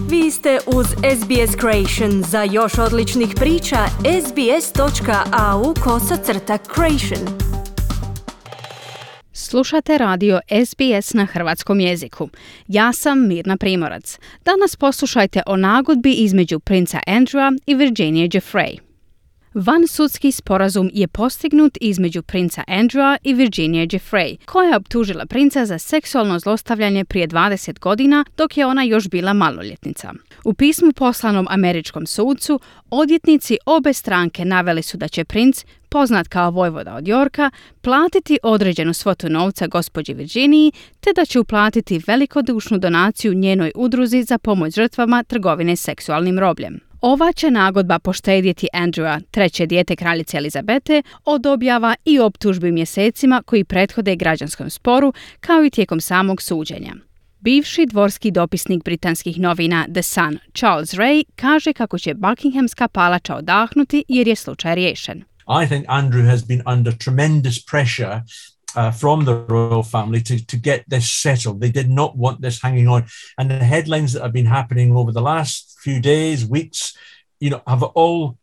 Vi ste uz SBS Creation. Za još odličnih priča, sbs.au/creation. Slušate radio SBS na hrvatskom jeziku. Ja sam Mirna Primorac. Danas poslušajte o nagodbi između princa Andrewa i Virginije Giuffre. Vansudski sporazum je postignut između princa Andrewa i Virginije Giuffre, koja je optužila princa za seksualno zlostavljanje prije 20 godina dok je ona još bila maloljetnica. U pismu poslanom američkom sudcu, odvjetnici obe stranke naveli su da će princ, poznat kao vojvoda od Yorka, platiti određenu svotu novca gospođi Virginiji, te da će uplatiti velikodušnu donaciju njenoj udruzi za pomoć žrtvama trgovine seksualnim robljem. Ova će nagodba poštedjeti Andrewa, treće dijete kraljice Elizabete, od objava i optužbi mjesecima koji prethode građanskom sporu, kao i tijekom samog suđenja. Bivši dvorski dopisnik britanskih novina The Sun, Charles Ray, kaže kako će Buckinghamska palača odahnuti jer je slučaj riješen. I think Andrew has been under tremendous pressure from the royal family to get this settled. They did not want this hanging on. And the headlines that have been happening over the last few days, weeks, have all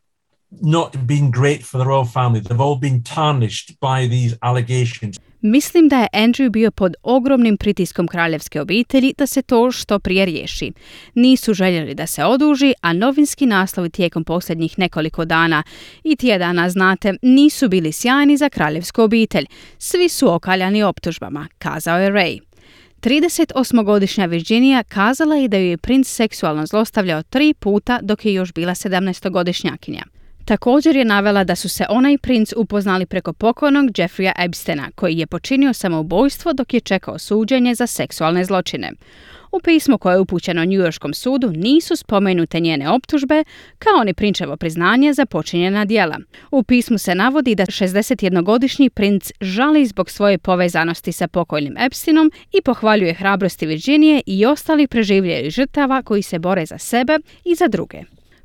not been great for the royal family. They've all been tarnished by these allegations. Mislim da je Andrew bio pod ogromnim pritiskom kraljevske obitelji da se to što prije riješi. Nisu željeli da se oduži, a novinski naslovi tijekom posljednjih nekoliko dana i tjedana, znate, nisu bili sjajni za kraljevsku obitelj. Svi su okaljani optužbama, kazao je Ray. 38-godišnja Virginija kazala je da ju je princ seksualno zlostavljao 3 puta dok je još bila 17-godišnjakinja. Također je navela da su se ona i princ upoznali preko pokojnog Jeffreya Epsteina, koji je počinio samoubojstvo dok je čekao suđenje za seksualne zločine. U pismu koje je upućeno Newyorskom sudu nisu spomenute njene optužbe, kao ni prinčevo priznanje za počinjena djela. U pismu se navodi da 61-godišnji princ žali zbog svoje povezanosti sa pokojnim Epsteinom i pohvaljuje hrabrosti Virginije i ostalih preživjelih žrtava koji se bore za sebe i za druge.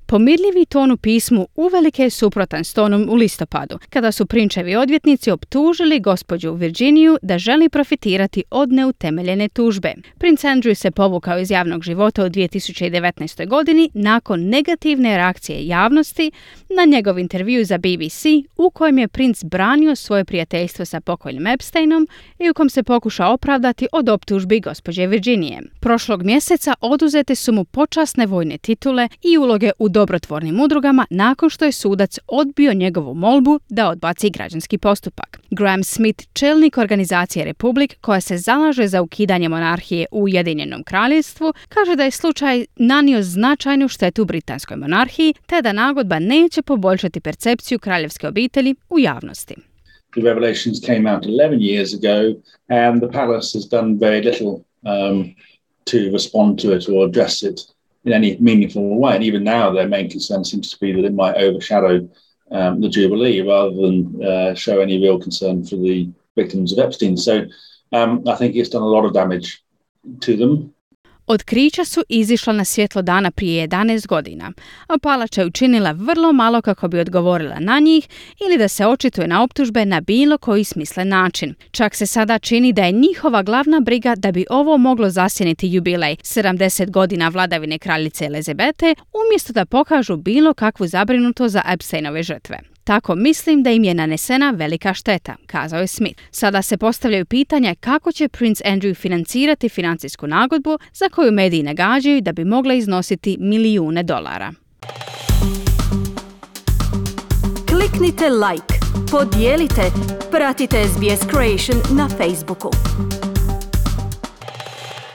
Pomirljivi ton u pismu uvelike je suprotan s tonom u listopadu, kada su prinčevi odvjetnici optužili gospođu Virginiju da želi profitirati od neutemeljene tužbe. Princ Andrew se povukao iz javnog života u 2019. godini nakon negativne reakcije javnosti na njegov intervju za BBC, u kojem je princ branio svoje prijateljstvo sa pokojnim Epsteinom i u kom se pokušao opravdati od optužbi gospođe Virginije. Prošlog mjeseca oduzete su mu počasne vojne titule i uloge u dobrotvornim udrugama nakon što je sudac odbio njegovu molbu da odbaci građanski postupak. Graham Smith, čelnik organizacije Republic, koja se zalaže za ukidanje monarhije u Ujedinjenom kraljevstvu, kaže da je slučaj nanio značajnu štetu britanskoj monarhiji, te da nagodba neće poboljšati percepciju kraljevske obitelji u javnosti. The revelations came out 11 years ago and the palace has done very little to respond to it or address it in any meaningful way. And even now, their main concern seems to be that it might overshadow the Jubilee rather than show any real concern for the victims of Epstein. So I think it's done a lot of damage to them. Otkrića su izišla na svjetlo dana prije 11 godina, a palača je učinila vrlo malo kako bi odgovorila na njih ili da se očituje na optužbe na bilo koji smislen način. Čak se sada čini da je njihova glavna briga da bi ovo moglo zasjeniti jubilej 70 godina vladavine kraljice Elizabete, umjesto da pokažu bilo kakvu zabrinutost za Epsteinove žrtve. Tako mislim da im je nanesena velika šteta, kazao je Smith. Sada se postavljaju pitanja kako će princ Andrew financirati financijsku nagodbu za koju mediji nagađaju da bi mogla iznositi milijune dolara. Kliknite like, podijelite, pratite SBS Creation na Facebooku.